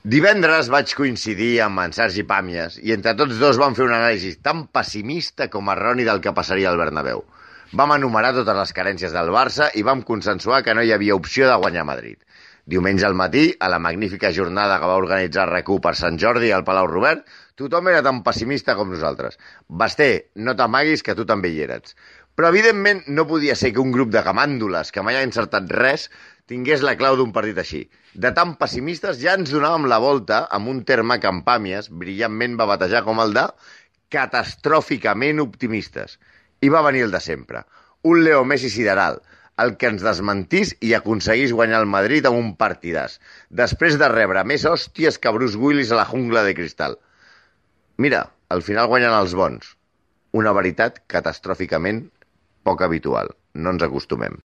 Divendres vaig coincidir amb en Sergi Pàmies i entre tots dos vam fer un anàlisi tan pessimista com erroni del que passaria al Bernabéu. Vam enumerar totes les carències del Barça i vam consensuar que no hi havia opció de guanyar a Madrid. Diumenge al matí, a la magnífica jornada que va organitzar RAC1 per Sant Jordi al Palau Robert, tothom era tan pessimista com nosaltres. Basté, no t'amaguis que tu també hi eres. Però evidentment no podia ser que un grup de gamàndoles que mai ha encertat res tingués la clau d'un partit així. De tan pessimistes ja ens donàvem la volta amb un terme que en Pàmies brillantment va batejar com el de catastròficament optimistes. I va venir el de sempre. Un Leo Messi sideral, el que ens desmentís i aconseguís guanyar el Madrid amb un partidàs, després de rebre més hòsties que Bruce Willis a la jungla de cristal. Mira, al final guanyen els bons. Una veritat catastròficament poc habitual. No ens acostumem.